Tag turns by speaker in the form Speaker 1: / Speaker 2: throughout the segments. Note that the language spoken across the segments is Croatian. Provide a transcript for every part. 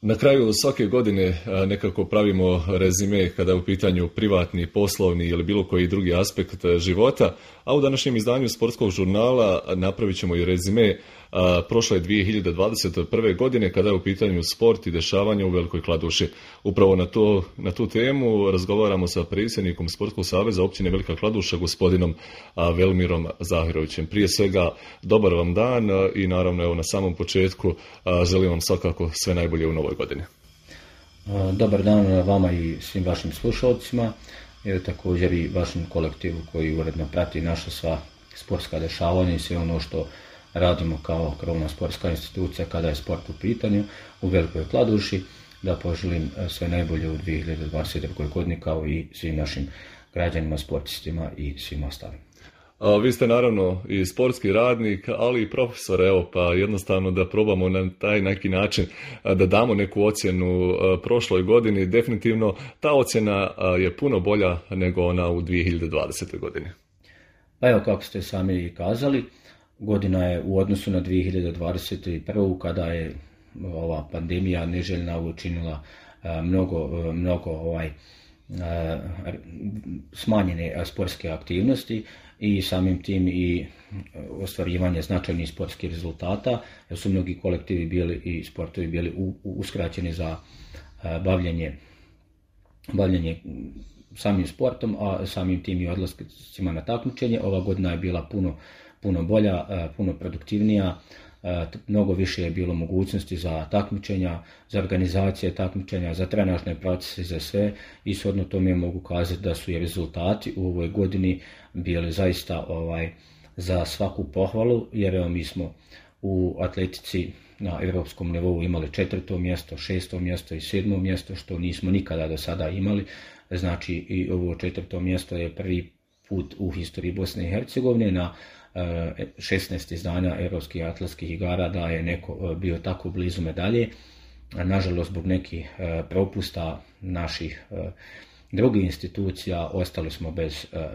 Speaker 1: Na kraju svake godine nekako pravimo rezime kada je u pitanju privatni, poslovni ili bilo koji drugi aspekt života, a u današnjem izdanju sportskog žurnala napravit ćemo i rezime prošle 2021. godine kada je u pitanju sport i dešavanje u Velikoj Kladuši. Upravo na tu temu razgovaramo sa predsjednikom Sportskog saveza općine Velika Kladuša, gospodinom Velmirom Zahirovićem. Prije svega, dobar vam dan i naravno evo na samom početku želim vam svakako sve najbolje u novoj godini.
Speaker 2: Dobar dan vama i svim vašim slušalcima, također i vašem kolektivu koji uredno prati naša sva sportska dešavanja i sve ono što radimo kao krovna sportska institucija kada je sport u pitanju u Velikoj Kladuši, da poželim sve najbolje u 2022. godini kao i svim našim građanima, sportistima i svim ostalim.
Speaker 1: Vi ste naravno i sportski radnik, ali i profesor, evo pa jednostavno da probamo na taj neki način da damo neku ocjenu prošloj godini. Definitivno ta ocjena je puno bolja nego ona u 2020. godini.
Speaker 2: Pa evo kako ste sami kazali, godina je u odnosu na 2021. kada je ova pandemija neželjna učinila mnogo smanjene sportske aktivnosti i samim tim i ostvarivanje značajnih sportskih rezultata, jer su mnogi kolektivi bili i sportovi bili uskraćeni za bavljenje samim sportom, a samim tim i odlascima na takmičenje. Ova godina je bila puno bolja, puno produktivnija, mnogo više je bilo mogućnosti za takmičenja, za organizacije takmičenja, za trenažne procese i za sve. I shodno tome mogu kazati da su i rezultati u ovoj godini bili zaista za svaku pohvalu, jer evo mi smo u atletici na europskom nivou imali 4. mjesto, 6. mjesto i 7. mjesto, što nismo nikada do sada imali. Znači i ovo 4. mjesto je prvi put u historiji Bosne i Hercegovine na 16 izdanja europskih atletskih igara da je neko bio tako blizu medalje. Nažalost, zbog nekih propusta naših drugih institucija ostali smo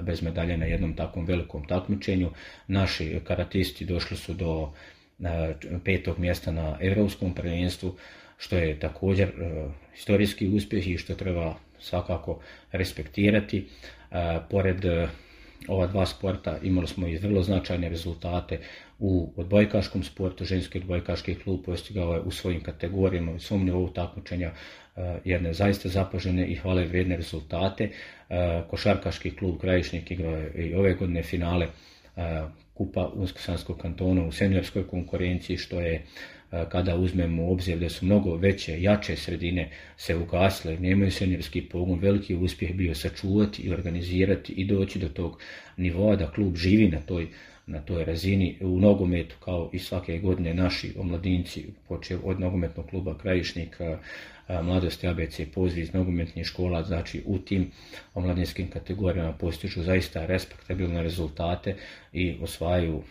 Speaker 2: bez medalje na jednom takvom velikom takmičenju. Naši karatisti došli su do 5. mjesta na europskom prvenstvu, što je također historijski uspjeh i što treba svakako respektirati. Pored ova dva sporta imali smo i vrlo značajne rezultate u odbojkaškom sportu. Ženski odbojkaški klub postigao je u svojim kategorijama, u svom nivou takmičenja jedne zaista zapažene i hvale vrijedne rezultate. Košarkaški klub Krajišnik igrao je i ove godine finale Kupa Unsko-Sanskog kantona u seniorskoj konkurenciji, što je, kada uzmemo u obzir da su mnogo veće, jače sredine se ugasile, nemaju seniorski pogon, veliki uspjeh bio sačuvati i organizirati i doći do tog nivoa da klub živi na toj razini. U nogometu, kao i svake godine, naši omladinci, počev od nogometnog kluba Krajišnik, Mladosti ABC, poziv iz nogometnih škola, znači u tim omladinskim kategorijama postižu zaista respektabilne rezultate i osvajaju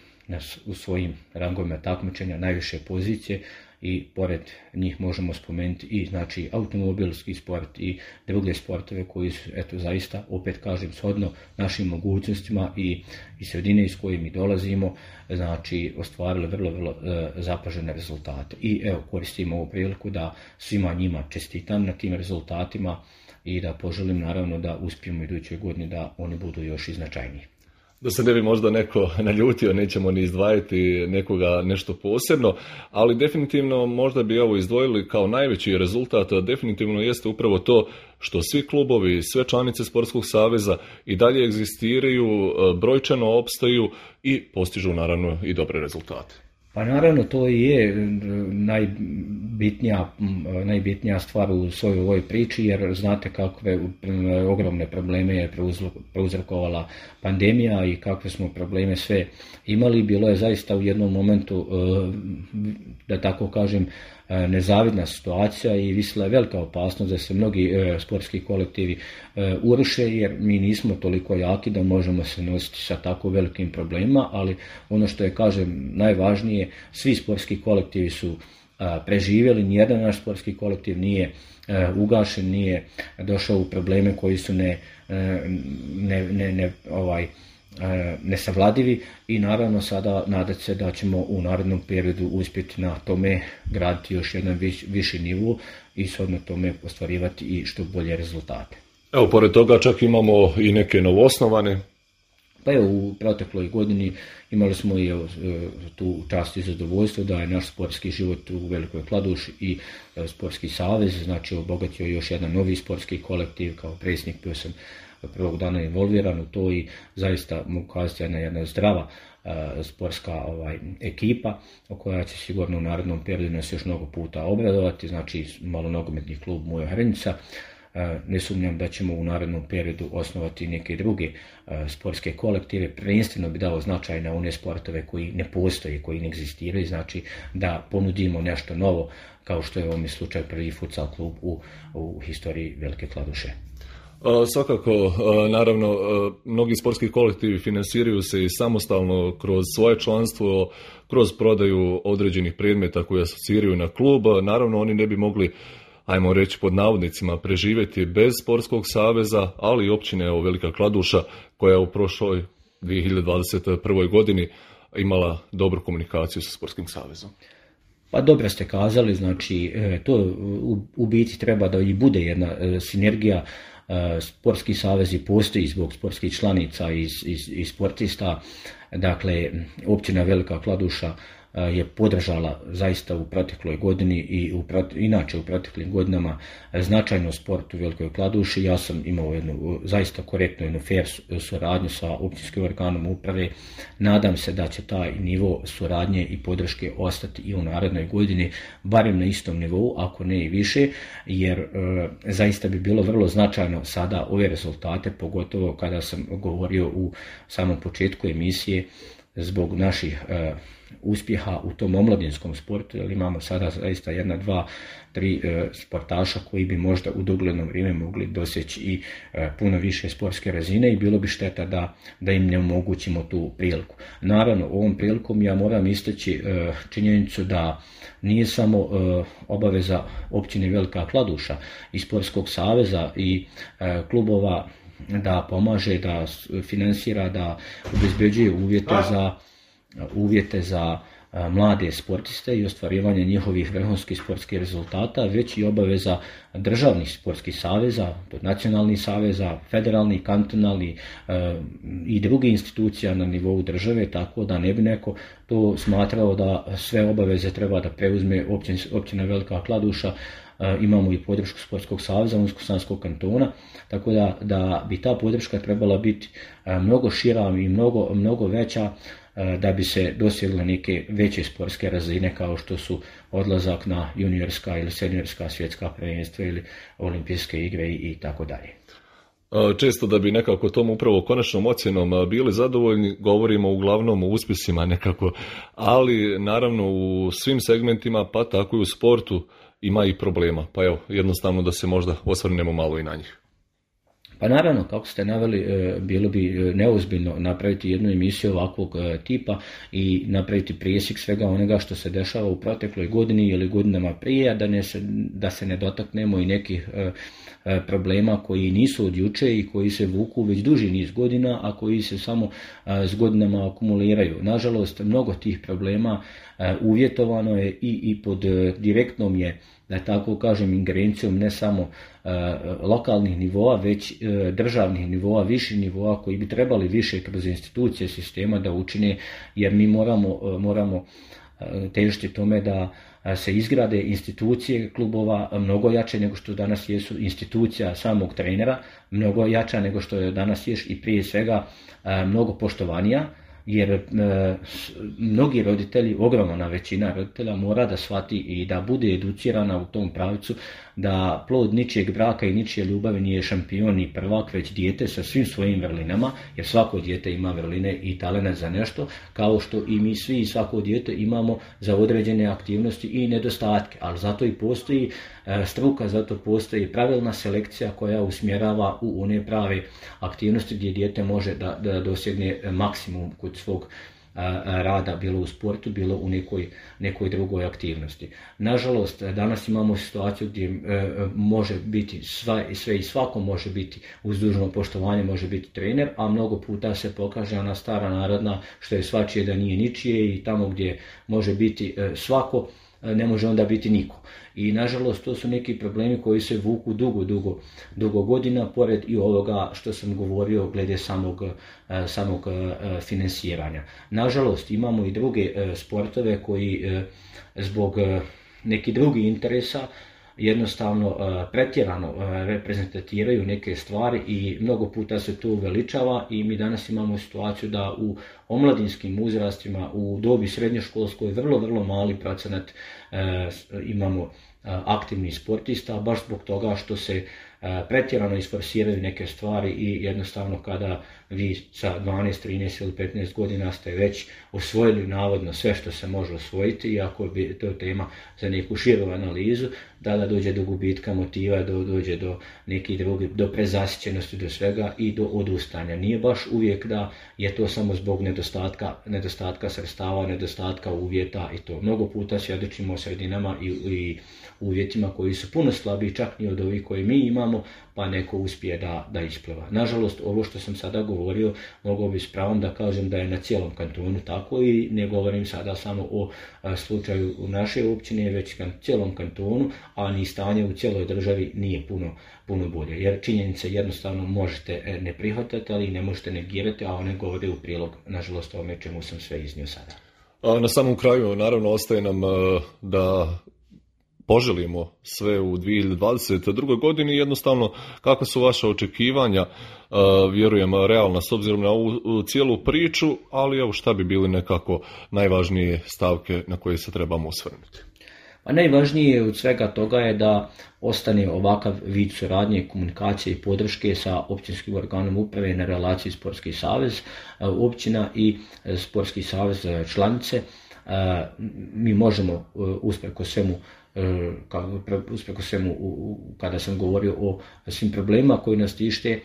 Speaker 2: u svojim rangovima takmičenja najviše pozicije. I pored njih možemo spomenuti i znači automobilski sport i druge sportove koji su zaista, opet kažem, shodno našim mogućnostima i sredine iz koje mi dolazimo, znači ostvarili vrlo zapažene rezultate. I evo, koristim ovu priliku da svima njima čestitam na tim rezultatima i da poželim naravno da uspijemo idućoj godini da oni budu još i značajniji.
Speaker 1: Da se ne bi možda neko naljutio, nećemo ni izdvajati nekoga nešto posebno, ali definitivno možda bi ovo izdvojili kao najveći rezultat, definitivno jeste upravo to što svi klubovi, sve članice Sportskog saveza i dalje egzistiraju, brojčano opstaju i postižu naravno i dobre rezultate.
Speaker 2: Pa naravno, to i je najbitnija stvar u svojoj ovoj priči, jer znate kakve ogromne probleme je prouzrokovala pandemija i kakve smo probleme sve imali. Bilo je zaista u jednom momentu, da tako kažem, nezavidna situacija i visila je velika opasnost da se mnogi sportski kolektivi uruše, jer mi nismo toliko jaki da možemo se nositi sa tako velikim problemima, ali ono što je, kažem, najvažnije, svi sportski kolektivi su preživjeli, nijedan naš sportski kolektiv nije ugašen, nije došao u probleme koji su nesavladivi i naravno sada nadati se da ćemo u narednom periodu uspjeti na tome graditi još jedan viši nivo i shodno tome ostvarivati i što bolje rezultate.
Speaker 1: Evo, pored toga čak imamo i neke novoosnovane.
Speaker 2: Pa evo, u protekloj godini imali smo i tu čast i zadovoljstvo da je naš sportski život u Velikoj Kladuši i sportski savez, znači obogatio još jedan novi sportski kolektiv. Kao predsjednik bio sam prvog dana involviran u to i zaista mogu kazati jedna zdrava sportska ekipa koja će sigurno u narednom periodu nas još mnogo puta obradovati, znači malonogometni klub Moja Hrnica. Ne sumnjam da ćemo u narednom periodu osnovati neke druge sportske kolektive. Prvenstveno bi dao značaj na one sportove koji ne postoje, koji ne egzistiraju, znači da ponudimo nešto novo, kao što je u ovom slučaju prvi futsal klub u historiji Velike Kladuše.
Speaker 1: Svakako, naravno, mnogi sportski kolektivi finansiraju se i samostalno kroz svoje članstvo, kroz prodaju određenih predmeta koji asociraju na klub. Naravno, oni ne bi mogli, ajmo reći pod navodnicima, preživjeti bez sportskog saveza, ali i općine Velika Kladuša koja je u prošloj 2021. godini imala dobru komunikaciju sa sportskim savezom.
Speaker 2: Pa dobro ste kazali, znači to u biti treba da i bude jedna sinergija. Sportski savezi postoji zbog sportskih članica i sportista. Dakle, općina Velika Kladuša je podržala zaista u protekloj godini i inače u proteklim godinama značajno sport u Velikoj Kladuši. Ja sam imao jednu zaista korektnu, jednu fair suradnju sa općinskim organom uprave. Nadam se da će taj nivo suradnje i podrške ostati i u narednoj godini, barem na istom nivou, ako ne i više, jer zaista bi bilo vrlo značajno sada ove rezultate, pogotovo kada sam govorio u samom početku emisije, zbog naših uspjeha u tom omladinskom sportu, jer imamo sada zaista 1, 2, 3 sportaša koji bi možda u dogledno vrijeme mogli doseći i puno više sportske razine i bilo bi šteta da im ne omogućimo tu priliku. Naravno, ovom prilikom ja moram istaći činjenicu da nije samo obaveza općine Velika Kladuša i sportskog saveza i klubova da pomaže, da finansira, da obezbeđuje uvjete za mlade sportiste i ostvarivanje njihovih vrhunskih sportskih rezultata, već i obaveza državnih sportskih saveza, nacionalnih saveza, federalnih, kantonalnih i drugih institucija na nivou države, tako da ne bi neko to smatrao da sve obaveze treba da preuzme općina Velika Kladuša. Imamo i podršku Sportskog saveza Unsko-Sanskog kantona, tako da bi ta podrška trebala biti mnogo šira i mnogo veća da bi se dosegle neke veće sportske razine kao što su odlazak na juniorska ili seniorska svjetska prvenstva ili olimpijske igre i tako dalje.
Speaker 1: Često da bi nekako tom upravo konačnom ocjenom bili zadovoljni, govorimo uglavnom o uspjesima nekako, ali naravno u svim segmentima, pa tako i u sportu, ima i problema. Pa evo, jednostavno da se možda osvrnemo malo i na njih.
Speaker 2: Pa naravno, kako ste naveli, bilo bi neozbiljno napraviti jednu emisiju ovakvog tipa i napraviti presjek svega onoga što se dešava u protekloj godini ili godinama prije, da se ne dotaknemo i nekih problema koji nisu od juče i koji se vuku već duži niz godina, a koji se samo s godinama akumuliraju. Nažalost, mnogo tih problema uvjetovano je i pod direktnom je, da tako kažem, ingerencijom ne samo lokalnih nivoa, već državnih nivoa, viših nivoa koji bi trebali više kroz institucije sistema da učine, jer mi moramo težiti tome da se izgrade institucije klubova mnogo jače nego što danas jesu institucija samog trenera, mnogo jača nego što je danas ješ i prije svega mnogo poštovanija, jer mnogi roditelji, ogromna većina roditelja mora da shvati i da bude educirana u tom pravcu da plod ničijeg braka i ničije ljubavi nije šampion i prvak, već dijete sa svim svojim vrlinama, jer svako dijete ima vrline i talent za nešto, kao što i mi svi i svako dijete imamo za određene aktivnosti i nedostatke, ali zato i postoji struka, zato postoji pravilna selekcija koja usmjerava u one prave aktivnosti gdje dijete može da dosegne maksimum kod svog rada, bilo u sportu, bilo u nekoj drugoj aktivnosti. Nažalost, danas imamo situaciju gdje može biti sve i svako može biti, uz dužno poštovanje može biti trener, a mnogo puta se pokaže ona stara narodna što je svačije da nije ničije i tamo gdje može biti svako, ne može onda biti niko. I nažalost to su neki problemi koji se vuku dugo godina, pored i ovoga što sam govorio glede samog finansiranja. Nažalost imamo i druge sportove koji zbog nekih drugih interesa jednostavno pretjerano reprezentatiraju neke stvari i mnogo puta se to uveličava i mi danas imamo situaciju da u omladinskim uzrastima, u dobi srednjoškolskoj vrlo mali procenat imamo aktivnih sportista, baš zbog toga što se pretjerano isforsiraju neke stvari i jednostavno kada vi sa 12, 13 ili 15 godina ste već osvojili navodno sve što se može osvojiti, iako bi to tema za neku širu analizu, da dođe do gubitka motiva, dođe do nekih drugih, do prezasićenosti, do svega i do odustanja. Nije baš uvijek da je to samo zbog nedostatka sredstava, nedostatka uvjeta i to. Mnogo puta svjedočimo o sredinama i uvjetima koji su puno slabiji čak i od ovih koje mi imamo, pa neko uspije da ispliva. Nažalost, ovo što sam sada govorio, mogao bi s pravom da kažem da je na cijelom kantonu tako i ne govorim sada samo o slučaju u našoj općini, već na cijelom kantonu, a ni stanje u cijeloj državi nije puno bolje. Jer činjenice jednostavno možete ne prihvatati, ali ne možete negirati, a one govore u prilog, nažalost, ovome čemu sam sve iznio sada.
Speaker 1: Na samom kraju, naravno, ostaje nam da poželimo sve u 2022. godini. Jednostavno, kakva su vaša očekivanja, vjerujem, realna s obzirom na ovu cijelu priču, ali evo šta bi bili nekako najvažnije stavke na koje se trebamo osvrnuti?
Speaker 2: A najvažnije od svega toga je da ostane ovakav vid suradnje, komunikacije i podrške sa općinskim organom uprave na relaciji Sportski savez općina i Sportski savez članice. Mi možemo usprkos svemu kada sam govorio o svim problemima koji nas tište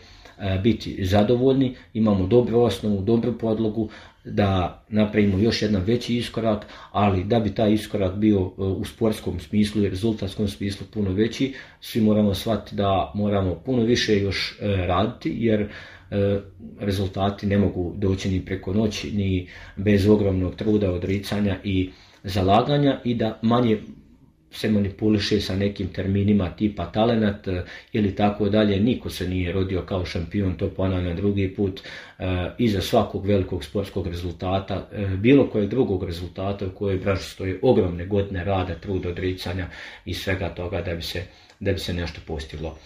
Speaker 2: biti zadovoljni, imamo dobru osnovu, dobru podlogu da napravimo još jedan veći iskorak, ali da bi taj iskorak bio u sportskom smislu i rezultatskom smislu puno veći, svi moramo shvatiti da moramo puno više još raditi, jer rezultati ne mogu doći ni preko noći, ni bez ogromnog truda, odricanja i zalaganja i da manje se manipuliše sa nekim terminima tipa talenat ili tako dalje. Niko se nije rodio kao šampion, to ponavljam drugi put. Iza svakog velikog sportskog rezultata, bilo kojeg drugog rezultata u kojoj branši stoje ogromne godine rada, truda, odricanja i svega toga da bi se nešto postiglo.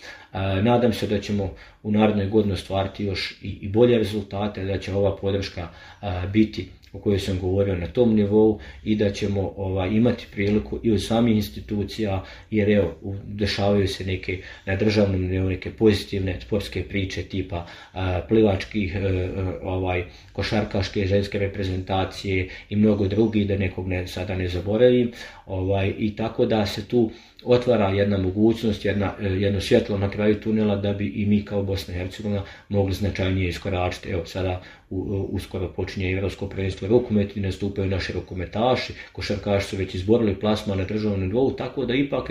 Speaker 2: Nadam se da ćemo u narednoj godini ostvariti još i bolje rezultate, da će ova podrška biti o kojoj sam govorio na tom nivou i da ćemo imati priliku i od samih institucija, jer evo, dešavaju se neke na državnom nivou neke pozitivne sportske priče tipa plivačkih, košarkaške, ženske reprezentacije i mnogo drugih, da nekog sada ne zaboravim, i tako da se tu otvara jedna mogućnost, jedno svjetlo na kraju tunela da bi i mi kao Bosna i Hercegovina mogli značajnije iskoračiti. Evo sada uskoro počinje Europsko prvenstvo rukomet i nastupaju naši rukometaši, košarkaši su već izborili plasman na državnom nivou, tako da ipak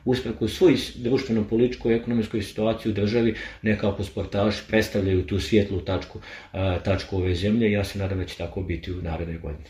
Speaker 2: usprkos svoj društveno-političkoj i ekonomskoj situaciji u državi nekako sportaši predstavljaju tu svjetlu tačku ove zemlje i ja se nadam da će tako biti u narednoj godini.